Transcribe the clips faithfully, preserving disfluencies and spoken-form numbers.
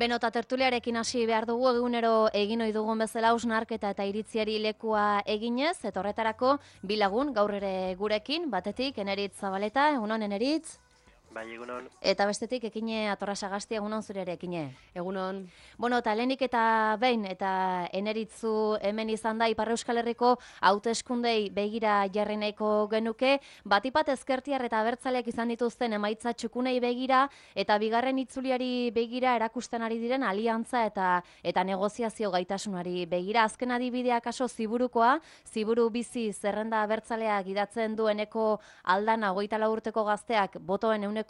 Beno, eta tertuliarekin hasi behar dugu, egunero egin ohi dugun bezala hausnarketa eta iritziari lekua eginez, eta horretarako bi lagun gaur ere gurekin, batetik Eneritz Zabaleta, egunon Eneritz? Bai, egunon. Eta bestetik Ekine Atorra Sagasti, egunon zure ere, Ekine. Egunon. Bueno, eta lehenik eta behin, eta Eneritzu hemen izan da, Ipar Euskal Herriko hauteskundei begira jarri nahiko genuke, batipat ezkertiar eta abertzaleak izan dituzten emaitza txukunei begira, eta bigarren itzuliari begira erakusten ari diren aliantza eta eta negoziazio gaitasunari begira. Azken adibidea kaso Ziburukoa, Ziburu bizi zerrenda abertzaleak idatzen dueneko aldana hogeita lau urteko gazteak botoen euneko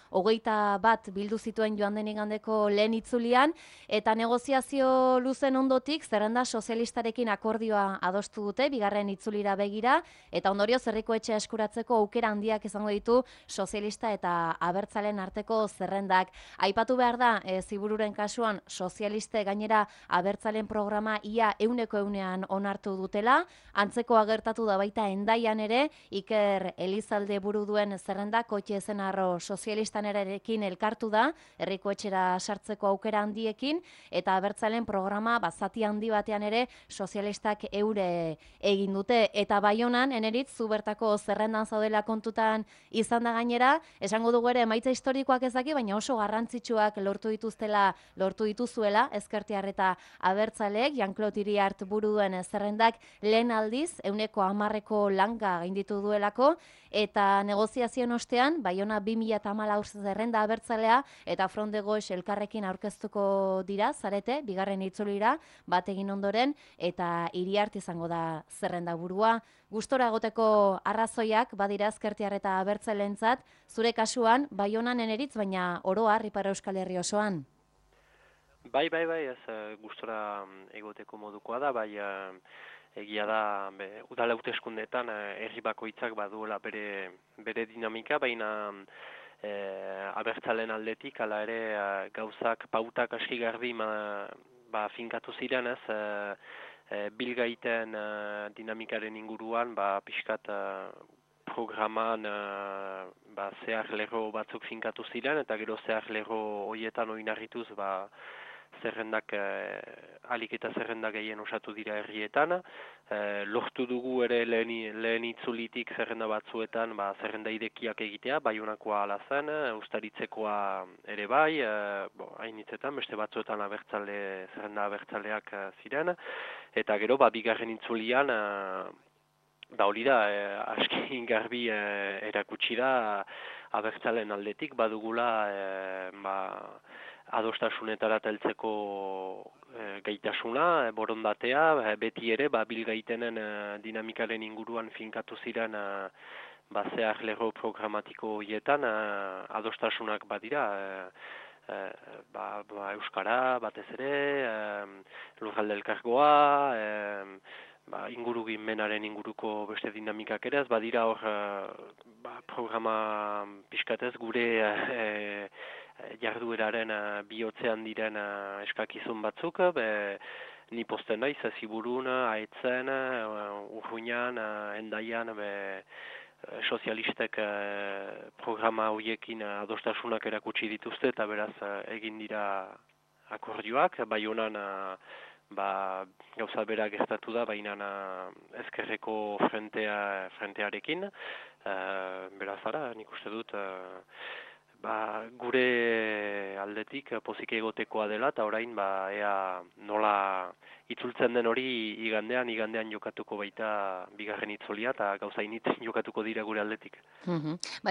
hogeita bat bildu zituen joan den igandeko lehen itzulian, eta negoziazio luzen ondotik zerrenda sozialistarekin akordioa adostu dute, bigarren itzulira begira, eta ondorio herriko etxea eskuratzeko aukera handiak izango ditu sozialista eta abertzalen arteko zerrendak. Aipatu behar da, e, Zibururen kasuan sozialiste gainera abertzalen programa ia euneko eunean onartu dutela, antzekoa gertatu da baita Hendaian ere, Iker Elizalde buru duen zerrendak Koitxe Ezenarro sozialistan erekin elkartu da, herriko etxera sartzeko aukera handiekin, eta abertzalen programa bazati handi batean ere sozialistak eure egin dute. Eta Baionan, Eneritz, zu bertako zerrendan zaudela kontutan izan da gainera, esango dugu ere emaitza historikoak ezaki, baina oso garrantzitsuak lortu dituztela, lortu dituzuela, ezkertiar eta abertzaleek, Jean-Claude Iriart buru duen zerrendak lehen aldiz, euneko hamarreko langa gainditu duelako, eta negoziazioen ostean, Baiona bi mila hamalau zerrenda abertzalea eta Front de Gauche elkarrekin aurkeztuko dira, zarete, bigarren itzulira, bat egin ondoren, eta Iriart izango da zerrenda burua. Gustora egoteko arrazoiak badira ezkertiar eta abertzalentzat, zure kasuan, Baionan Eneritz, baina oro har Ipar Euskal Herri osoan. Bai, bai, bai, ez uh, gustora egoteko modukoa da, bai uh, egia da, be, udala hauteskundeetan uh, herri bakoitzak baduela bere, bere dinamika, baina uh, abertzalen aldetik, hala ere uh, gauzak, pautak aski garbi ma, ba, finkatu ziren ez, uh, uh, bilgaiten uh, dinamikaren inguruan, ba, pixkat uh, programan uh, ba, zehar lerro batzuk finkatu ziren, eta gero zehar lerro horietan oinarrituz ba, zerrendak, eh, alik eta zerrendak gehien osatu dira herrietan. Eh, lortu dugu ere lehen, lehen itzulitik zerrenda batzuetan ba, zerrenda irekiak egitea, Baionakoa ala zen, Uztaritzekoa ere bai, eh, bo, hainitzetan, beste batzuetan abertzale, zerrenda abertzaleak eh, ziren, eta gero ba, bigarren itzulian, eh, da hori da, eh, aski garbi eh, erakutsi da, abertzalen aldetik badugula eh, ba, adostasunetara heltzeko e, gaitasuna, e, borondatea, e, beti ere ba, bilgaitenen e, dinamikaren inguruan finkatu ziren e, ba, zehar lerro programatiko horietan e, adostasunak badira, e, e, ba, ba, Euskara batez ere, e, lurralde elkargoa, e, ba, ingurugimenaren inguruko beste dinamikak ere, ez badira hor ba, programa pixkatez gure e, jardueraren uh, bihotzean diren uh, eskakizun batzuk, be, ni posten naiz, Ziburun, Aetzen, uh, Urruñan, uh, Hendaian, be, sozialistek uh, programa horiekin uh, adostasunak erakutsi dituzte, eta beraz uh, egin dira akordioak, Baionan uh, ba, gauza bera gertatu da, baina uh, ezkerreko frentea, frentearekin, uh, beraz ara, nik uste dut, uh, Ba, gure aldetik pozik egotekoa dela, eta orain ba, ea nola itzultzen den hori igandean, igandean jokatuko baita bigarren itzulia, eta gauza initzen jokatuko dira gure aldetik. Mm-hmm.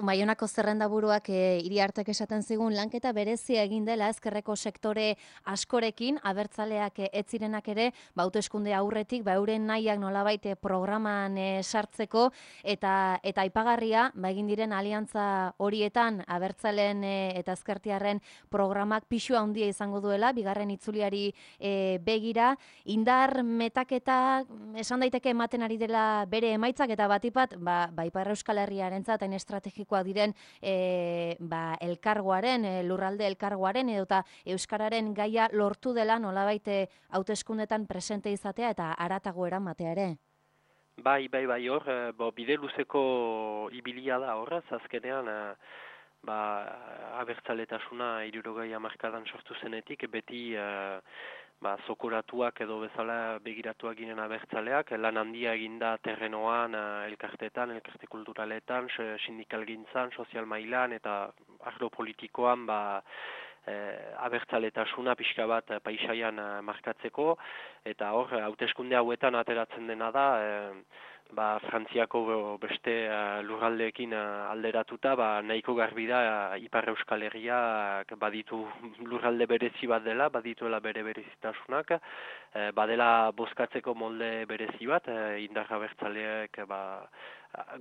Baionako zerrenda buruak e, Iriartek esaten zigun lanketa berezia egin dela ezkerreko sektore askorekin, abertzaleak e, ez zirenak ere, ba, hauteskunde aurretik, ba, euren nahiak nolabait programan e, sartzeko, eta eta aipagarria, ba, egin diren aliantza horietan, abertzalen e, eta ezkertiarren programak pixua handia izango duela, bigarren itzuliari e, begira, indar metaketa esan daiteke ematen ari dela bere emaitzak, eta batipat, ba, ba Ipar Euskal Herriarentzat hain estrategikoak diren e, ba, elkargoaren, e, lurralde elkargoaren, edota euskararen gaia lortu dela nolabait hauteskundetan presente izatea eta haratago eramatea ere. Bai, bai, bai, hor, bo, bide luzeko ibilia da horraz, azkenean, ba, abertzaletasuna hirurogei hamarkadan sortu zenetik, beti uh, ba, zokoratuak edo bezala begiratuak ginen abertzaleak, lan handia eginda terrenoan, uh, elkartetan, elkarte kulturaletan, sindikalgintzan, sozial mailan eta arlo politikoan, ba, eh, abertzaletasuna pixka bat eh, paisaian eh, markatzeko, eta hor, hauteskunde hauetan ateratzen dena da, eh, ba, Frantziako beste eh, lurraldeekin eh, alderatuta, ba, nahiko garbi da eh, Ipar Euskal Herriak baditu lurralde berezi bat dela, badituela bere berezitasunak, eh, badela bozkatzeko molde berezi bat, eh, indar abertzaleak ba,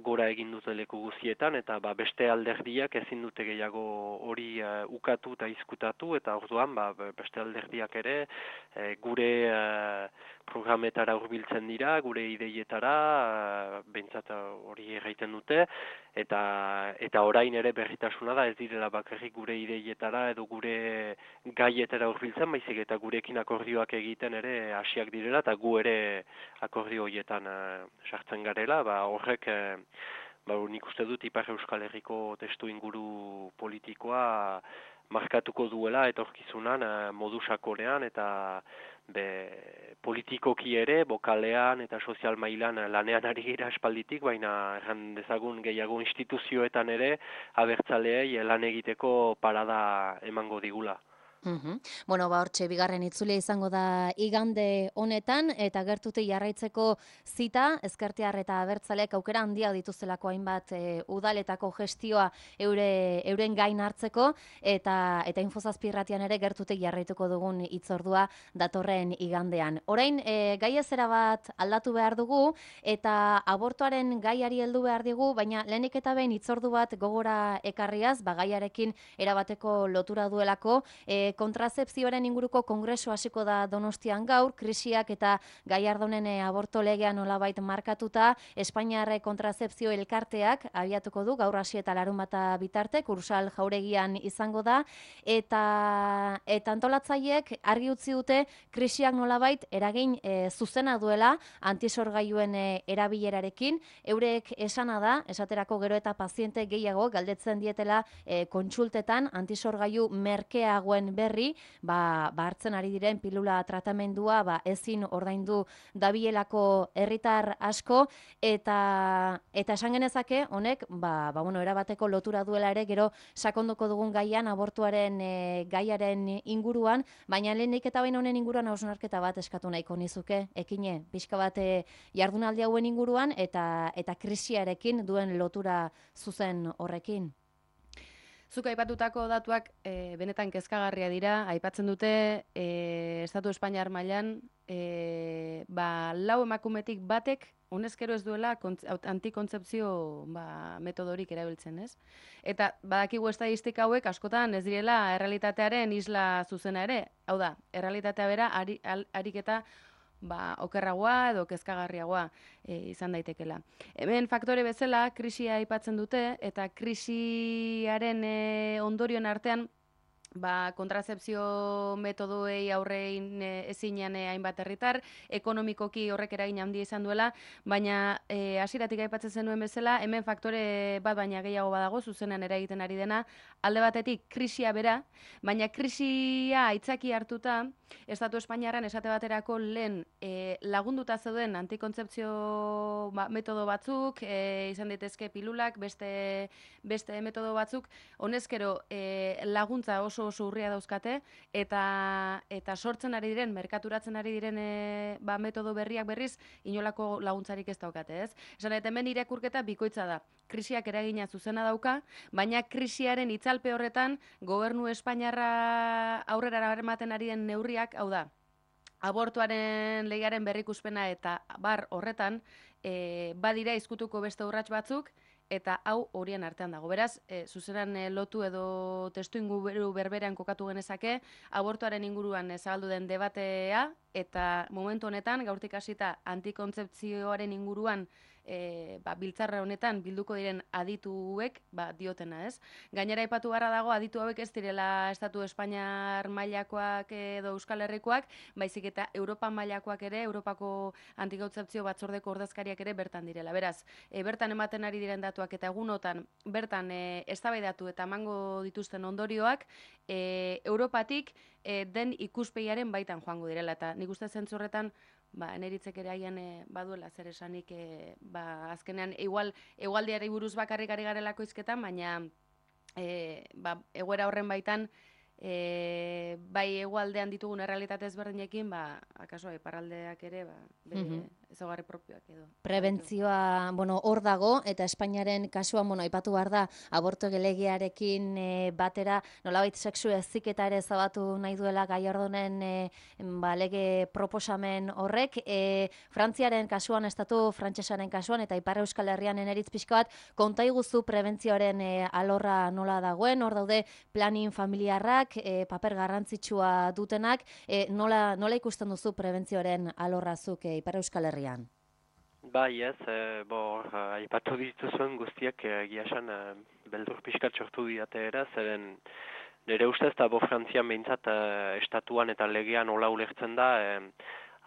gora egin dute leku guzietan, eta ba, beste alderdiak ezin dute gehiago hori uh, ukatu eta izkutatu, eta orduan ba, beste alderdiak ere uh, gure uh, programetara hurbiltzen dira, gure ideietara, uh, behintzat hori erraiten dute, eta eta orain ere berritasuna da ez direla bakarrik gure ideietara edo gure gaietara hurbiltzen, baizik eta gurekin akordioak egiten ere hasiak direla, eta gu ere akordio horietan uh, sartzen garela, ba, horrek ba, nik uste dut Ipar Euskal Herriko testu inguru politikoa markatuko duela etorkizunan modu sakonean eta be, politikoki ere, bokalean eta sozial mailan lanean ari gira espalditik, baina erran dezagun gehiago instituzioetan ere abertzaleei lan egiteko parada emango digula. Uhum. Bueno, ba, hortxe, bigarren itzulia izango da igande honetan, eta gertutik jarraitzeko zita, ezkertiar eta abertzaleak aukera handia dituztelako hainbat e, udaletako gestioa eure, euren gain hartzeko, eta eta infozazpirratian ere gertutik jarraituko dugun hitzordua datorren igandean. Orain, e, gai ezera bat aldatu behar dugu, eta abortuaren gaiari heldu behar digu, baina lehenik eta behin hitzordu bat gogora ekarriaz, ba, gaiarekin erabateko lotura duelako, e, kontrasepzioaren inguruko kongresu hasiko da Donostian gaur, krisiak eta Gallardonen aborto legean nolabait markatuta, Espainiarre kontrasepzio elkarteak abiatuko du gaur hasi eta larunbata bitarte, Kursal Jauregian izango da, eta eta antolatzaileek argi utzi dute krisiak nolabait eragin e, zuzena duela antisorgailuen e, erabilerarekin, eurek esana da, esaterako gero eta paziente gehiago galdetzen dietela e, kontsultetan antisorgailu merkeagoen berri, ba, ba hartzen ari diren pilula tratamendua ba, ezin ordaindu dabielako herritar asko, eta eta esan genezake honek ba, ba, bueno, erabateko lotura duela ere gero sakondoko dugun gaian abortuaren e, gaiaren inguruan, baina lehenik eta behin honen inguruan hausnarketa bat eskatu nahiko nizuke, ekine, pixka bat e, jardunaldi hauen inguruan eta eta krisiarekin duen lotura zuzen horrekin. Zuk aipatutako datuak e, benetan kezkagarria dira, aipatzen dute e, Estatu Espainiar mailan e, ba, lau emakumetik batek honezkero ez duela antikontzepzio ba, metodorik erabiltzen, ez? Eta badakigu estadistika hauek askotan ez direla errealitatearen isla zuzena ere, hau da, errealitatea bera ari, ariketa ba, okerragoa edo kezkagarriagoa e, izan daitekela. Hemen faktore bezala krisia aipatzen dute, eta krisiaren e, ondorioen artean ba, kontrasepzio metodoei aurrein e, ezinean e, hainbat herritar, ekonomikoki horrek eragin handia izan duela, baina e, hasieratik aipatzen zenuen bezala, hemen faktore bat baina gehiago badago, zuzenean eragiten ari dena, alde batetik krisia bera, baina krisia aitzaki hartuta, Estatu Espainiarran esate baterako lehen e, lagunduta zeuden antikontzepzio ba, metodo batzuk, e, izan daitezke pilulak, beste, beste metodo batzuk, honezkero e, laguntza oso oso urria dauzkate, eta eta sortzen ari diren, merkaturatzen ari diren e, ba, metodo berriak berriz, inolako laguntzarik ez daukate, ez? Esan eta hemen irakurketa bikoitza da. Krisiak eragina zuzena dauka, baina krisiaren itzalpe horretan gobernu Espainiarra aurrera ematen ari den neurriak, hau da, abortuaren legearen berrikuspena eta bar horretan e, badira izkutuko beste urrats batzuk, eta hau horien artean dago. Beraz, e, zuzenan e, lotu edo testu inguru berberean kokatu genezake, abortuaren inguruan e, zabaldu den debatea, eta momentu honetan, gaurtik hasita antikontzepzioaren inguruan e, ba, biltzarra honetan bilduko diren adituek ba, diotena, ez? Gainera aipatu beharra dago aditu hauek ez direla Estatu Espainiar mailakoak edo Euskal Herrikoak, baizik eta Europa mailakoak ere, Europako Antikontzepzio Batzordeko ordezkariak ere bertan direla. Beraz, e, bertan ematen ari diren datuak eta egunotan bertan e, eztabaidatu eta emango dituzten ondorioak e, Europatik e, den ikuspegiaren baitan joango direla. Eta nik uste zentzu horretan, ba, eneritzek ere haian e, baduela zer esanik, e, ba, azkenean, igual, egualdiari buruz bakarrik ari garelako izketan, baina e, ba, egoera horren baitan, e, bai egualdean ditugun errealitate ezberdinekin, ba, akaso, iparraldeak ere, ba, bere Mhm. ezaugarri propioak edo. Prebentzioa, bueno, hor dago, eta Espainiaren kasuan, bueno, aipatu behar da, aborto gelegiarekin e, batera, nolabait sexu heziketa ere zabatu nahi duela Gallardonen e, ba, lege proposamen horrek. E, Frantziaren kasuan, estatu frantsesaren kasuan, eta Ipar Euskal Herrian eneritz pixka bat, konta iguzu prebentzioaren e, alorra nola dagoen, hor daude planin familiarrak, e, paper garrantzitsua dutenak, e, nola, nola ikusten duzu prebentzioaren alorrazuk e, Ipar Euskal Herrian? Bai, ez, e, bo, aipatu dituzuen guztiak egia esan e, beldur pixkat sortu diate era, zeren nire ustez, eta bo Frantzian behintzat e, estatuan eta legean hola ulertzen da, e,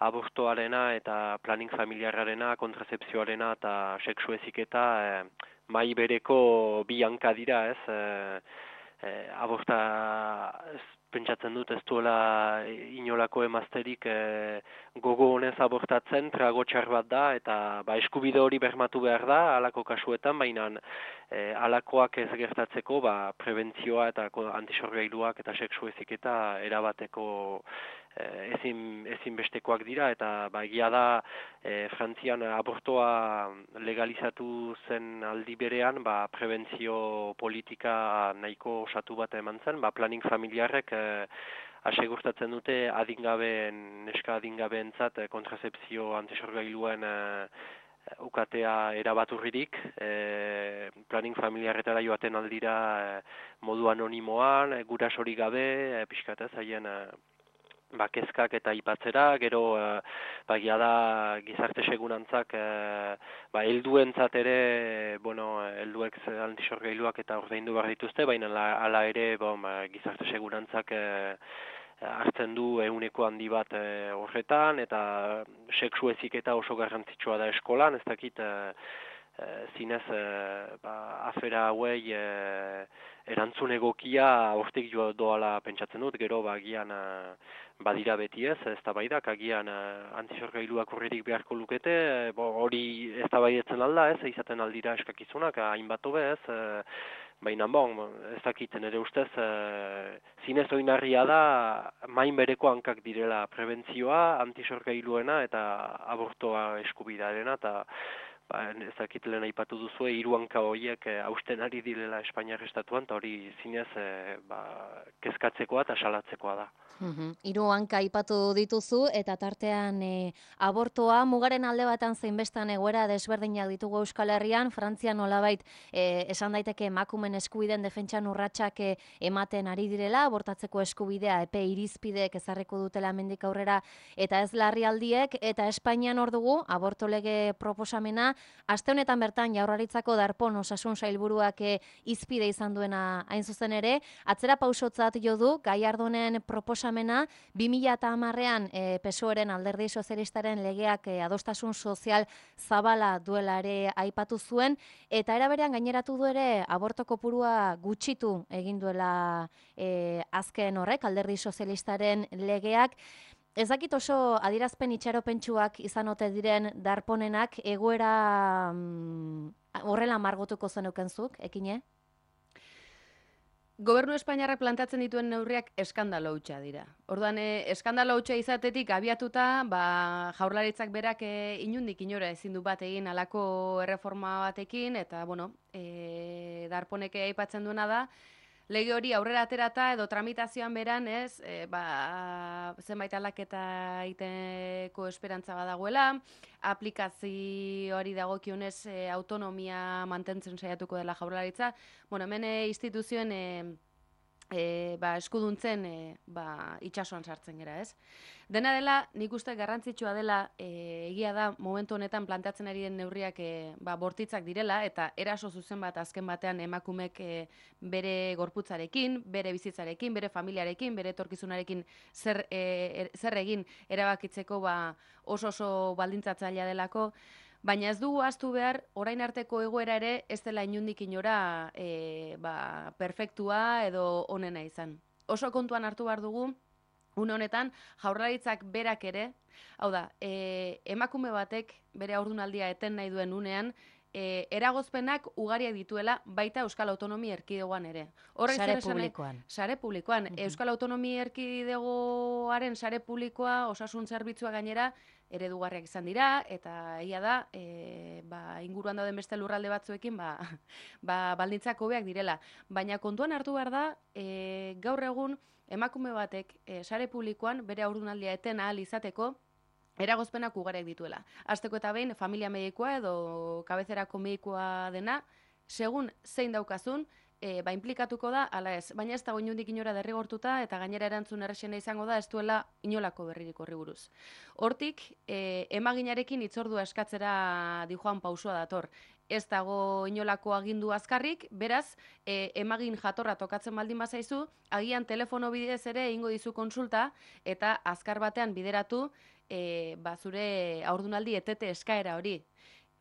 abortoarena eta planning familiarrarena, kontrasepzioarena eta sexu heziketa e, mai bereko bi hanka dira, ez, e, e, aborta ez, pentsatzen dut ez duela inolako emazterik e, gogo honez abortatzen, trago txar bat da, eta ba, eskubide hori bermatu behar da, halako kasuetan, baina e, halakoak ez gertatzeko, ba, prebentzioa eta antisorgailuak eta sexu heziketa erabateko e, ezin, ezinbestekoak dira, eta ba, egia da e, Frantzian abortoa legalizatu zen aldi berean, ba, prebentzio politika nahiko osatu bat eman zen, ba, planning familiarrek asegurtatzen dute adingabeen, neska adingabeentzat kontrasepzio antisorgailuen e, ukatea erabaturririk, e, planning familiarretara joaten aldira e, modu anonimoan, e, gurasorik gabe, e, pixkatez, haien e, ba, kezkak eta aipatzera, gero e, bagia da gizarte segurantzak e, ba, helduentzat ere, bueno, helduek antisorgailuak eta ordaindu behar dituzte, baina hala ere bon, ba, gizarte segurantzak e, hartzen du ehuneko handi bat e, horretan, eta sexu heziketa oso garrantzitsua da eskolan, ez dakit e, e, zinez e, ba, afera hauei e, erantzun egokia hortik jo doala pentsatzen dut, gero ba, agian e, badira beti ez, ez da baidak, agian e, antisorgailuak horretik beharko lukete, e, bo, hori ez da baidetzen alda ez, izaten aldira eskakizunak, hainbat hobe ez, e, baina bon, ez dakiten ere ustez, e, zinez oinarria da, main bereko hankak direla prebentzioa, antisorgailuena eta abortoa eskubidearena, eta ba, ez dakit lehen aipatu duzu, hiru hanka horiek e, hausten ari direla Espainiar estatuan, eta hori zinez e, ba, kezkatzekoa eta salatzekoa da. Uhum. Hiru hanka aipatu dituzu, eta tartean e, abortoa mugaren alde batan zein bestan egoera desberdinak ditugu Euskal Herrian, Frantzian nolabait e, esan daiteke emakumen eskubideen defentsan urratsak e, ematen ari direla, abortatzeko eskubidea epe irizpideek ezarriko dutela hemendik aurrera eta ez larrialdiek, eta Espainian hor dugu aborto lege proposamena, aste honetan bertan Jaurlaritzako Darpón Osasun Sailburuak e, hizpide izan duena hain zuzen ere, atzera pausotzat jo du Gallardonen proposamena bi mila hamarrean e, P S O E-ren Alderdi Sozialistaren legeak e, adostasun sozial zabala duela ere aipatu zuen, eta era berean gaineratu du ere aborto kopurua gutxitu egin duela e, azken horrek Alderdi Sozialistaren legeak. Ez dakit oso adierazpen itxaropentsuak izan ote diren Darponenak, egoera mm, horrela margotuko zenukenzuk, ekine? Gobernu Espainiarrak plantatzen dituen neurriak eskandalo hutsa dira. Orduan, e, eskandalo hutsa izatetik abiatuta, ba, Jaurlaritzak berak e, inundik inora ezin du bat egin halako erreforma batekin, eta, bueno, e, Darponek aipatzen duena da, lege hori aurrera aterata edo tramitazioan beran, ez, e, ba, zenbait aldaketa egiteko esperantza badagoela, aplikazioari dagokionez e, autonomia mantentzen saiatuko dela Jaurlaritza. Bueno, hemen e, instituzioen e, E, ba, eskuduntzen e, ba, itxasoan sartzen gera, ez? Dena dela, nik uste garrantzitsua dela, e, egia da, momentu honetan planteatzen ari den neurriak e, ba, bortitzak direla, eta eraso zuzen bat azken batean emakumek e, bere gorputzarekin, bere bizitzarekin, bere familiarekin, bere etorkizunarekin zer, e, er, zer egin erabakitzeko ba, oso oso baldintzatzailea delako. Baina ez dugu ahaztu behar, orain arteko egoera ere ez dela inundik inora e, ba, perfektua edo onena izan. Oso kontuan hartu behar dugu, une honetan, jaurlaritzak berak ere, hau da, e, emakume batek bere haurdunaldia eten nahi duen unean, e, eragozpenak ugariak dituela baita Euskal Autonomia Erkidegoan ere. Horrek sare publikoan. Sare publikoan. Uh -huh. Euskal Autonomia Erkidegoaren sare publikoa, osasun zerbitzua gainera, eredugarriak izan dira, eta egia da, e, ba, inguruan dauden beste lurralde batzuekin, ba, ba, baldintzak hobeak direla. Baina kontuan hartu behar da, e, gaur egun, emakume batek e, sare publikoan bere haurdunaldia eten ahal izateko, eragozpenak ugariak dituela. Hasteko eta behin, familia medikoa edo kabezerako medikoa dena, segun zein daukazun, E, ba, implikatuko da, ala ez. Baina ez dago inundik inora derrigortuta, eta gainera erantzun errexena izango da, ez duela inolako berririk horri buruz. Hortik, e, emaginarekin hitzordua eskatzera dijoan pausua dator. Ez dago inolako agindu azkarrik, beraz, e, emagin jatorra tokatzen baldin bazaizu, agian telefono bidez ere egingo dizu konsulta, eta azkar batean bideratu, e, ba, zure haurdunaldi etete eskaera hori.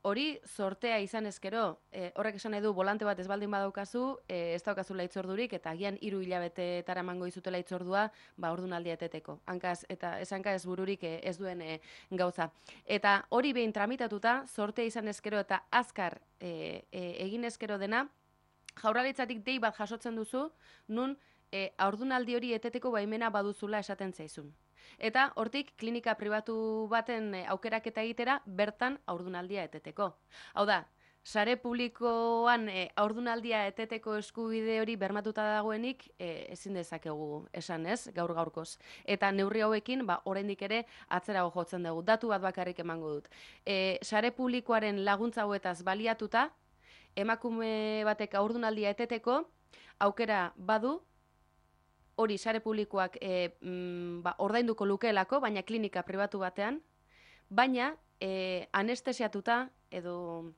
Hori sortea izan ezkero, e, horrek esan nahi du volante bat ez baldin badaukazu, e, ez daukazula hitzordurik, eta agian hiru hilabetetara emango dizutela hitzordua, ba haurdunaldia eteteko. Hankaz eta ez hanka ez bururik e, ez duen e, gauza. Eta hori behin tramitatuta, sortea izan ezkero eta azkar e, e, egin ezkero dena, jaurlaritzatik dei bat jasotzen duzu, nun e, haurdunaldi hori eteteko baimena baduzula esaten zaizun. Eta hortik klinika pribatu baten aukeraketa egitera bertan haurdunaldia eteteko. Hau da, sare publikoan e, haurdunaldia eteteko eskubide hori bermatuta dagoenik e, ezin dezakegu esan ez, gaur gaurkoz. Eta neurri hauekin, ba, oraindik ere atzerago jotzen dugu. Datu bat bakarrik emango dut. E, sare publikoaren laguntza hauetaz baliatuta, emakume batek haurdunaldia eteteko aukera badu, hori sare publikoak e, mm, ba, ordainduko lukeelako, baina klinika pribatu batean, baina e, anestesiatuta edo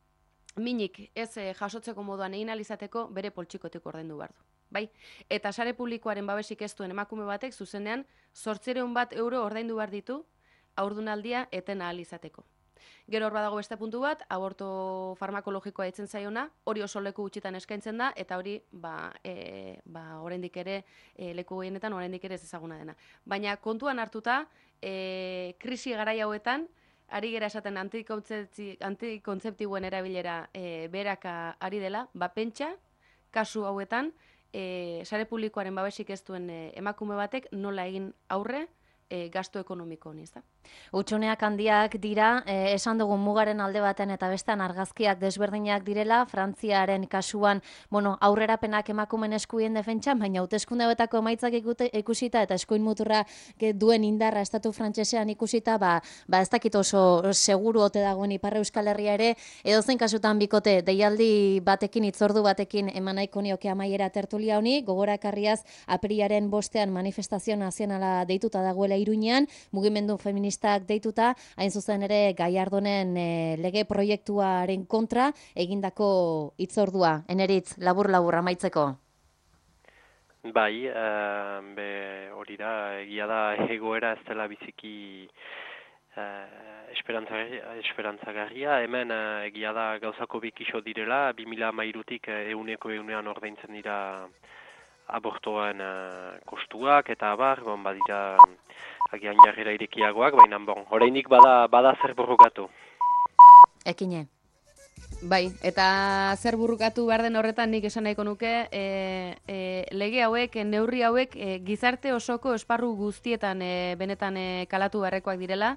minik ez e, jasotzeko moduan egin alizateko bere poltsikotik ordaindu behar du. Bai? Eta sare publikoaren babesik ez duen emakume batek zuzenean zortziehun bat euro ordaindu behar ditu haurdunaldia eten ahal izateko. Gero hor badago beste puntu bat, aborto farmakologikoa ditzen zaiona, hori oso leku gutxitan eskaintzen da, eta hori ba, e, ba, oraindik ere e, leku gehienetan oraindik ere ez ezaguna dena. Baina kontuan hartuta, e, krisi garai hauetan, ari gera esaten antikontzeptiboen erabilera e, beraka ari dela, ba pentsa, kasu hauetan, e, sare publikoaren babesik ez duen e, emakume batek nola egin aurre, E, gasto ekonomiko honi, ez da? Hutsuneak handiak dira, eh, esan dugun mugaren alde baten eta bestean argazkiak desberdinak direla, Frantziaren kasuan, bueno, aurrerapenak emakumen eskubien defentsan, baina hauteskunde hauetako emaitzak ikusita eta eskuin muturra duen indarra estatu frantsesean ikusita, ba, ba ez dakit oso seguru ote dagoen Ipar Euskal Herria ere, edozein kasutan bikote, deialdi batekin, hitzordu batekin eman nahiko nioke amaiera tertulia honi, gogorakarriaz apirilaren bostean manifestazio nazionala deituta dagoela Iruñean, mugimendu feministak deituta, hain zuzen ere Gallardonen e, lege proiektuaren kontra egindako hitzordua. Eneritz, labur-labur amaitzeko. Bai, uh, be, hori da, egia da egoera ez dela biziki uh, esperantzagarria. Hemen uh, egia da gauzako bikiso direla, bi mila hamairutik uh, euneko eunean ordaintzen dira abortoan uh, kostuak, eta abar, bon, badira agian jarrera irekiagoak, baina bon, orainik bada, bada zer borrokatu. Ekine. Bai, eta zer burrukatu behar den horretan nik esan nahiko nuke, e, e, lege hauek, neurri hauek e, gizarte osoko esparru guztietan e, benetan e, kalatu beharrekoak direla,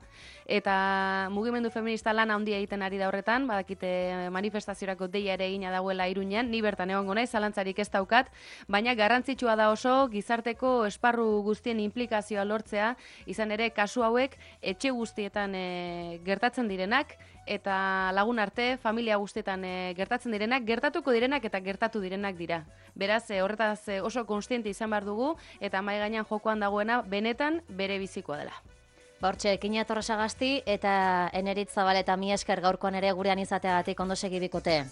eta mugimendu feminista lan handia egiten ari da horretan, badakite manifestaziorako deia ere egina dagoela Iruñean, ni bertan egongo naiz, zalantzarik ez daukat, baina garrantzitsua da oso gizarteko esparru guztien implikazioa lortzea, izan ere kasu hauek etxe guztietan e, gertatzen direnak, eta lagun arte, familia guztietan guztietan e, gertatzen direnak, gertatuko direnak eta gertatu direnak dira. Beraz, e, horretaz e, oso konstiente izan behar dugu, eta mahai gainean jokoan dagoena benetan bere bizikoa dela. Hortxe, Kina Torresagasti eta Eneritz Zabal eta mi esker gaurkoan ere gurean izateagatik ondo segi bikote.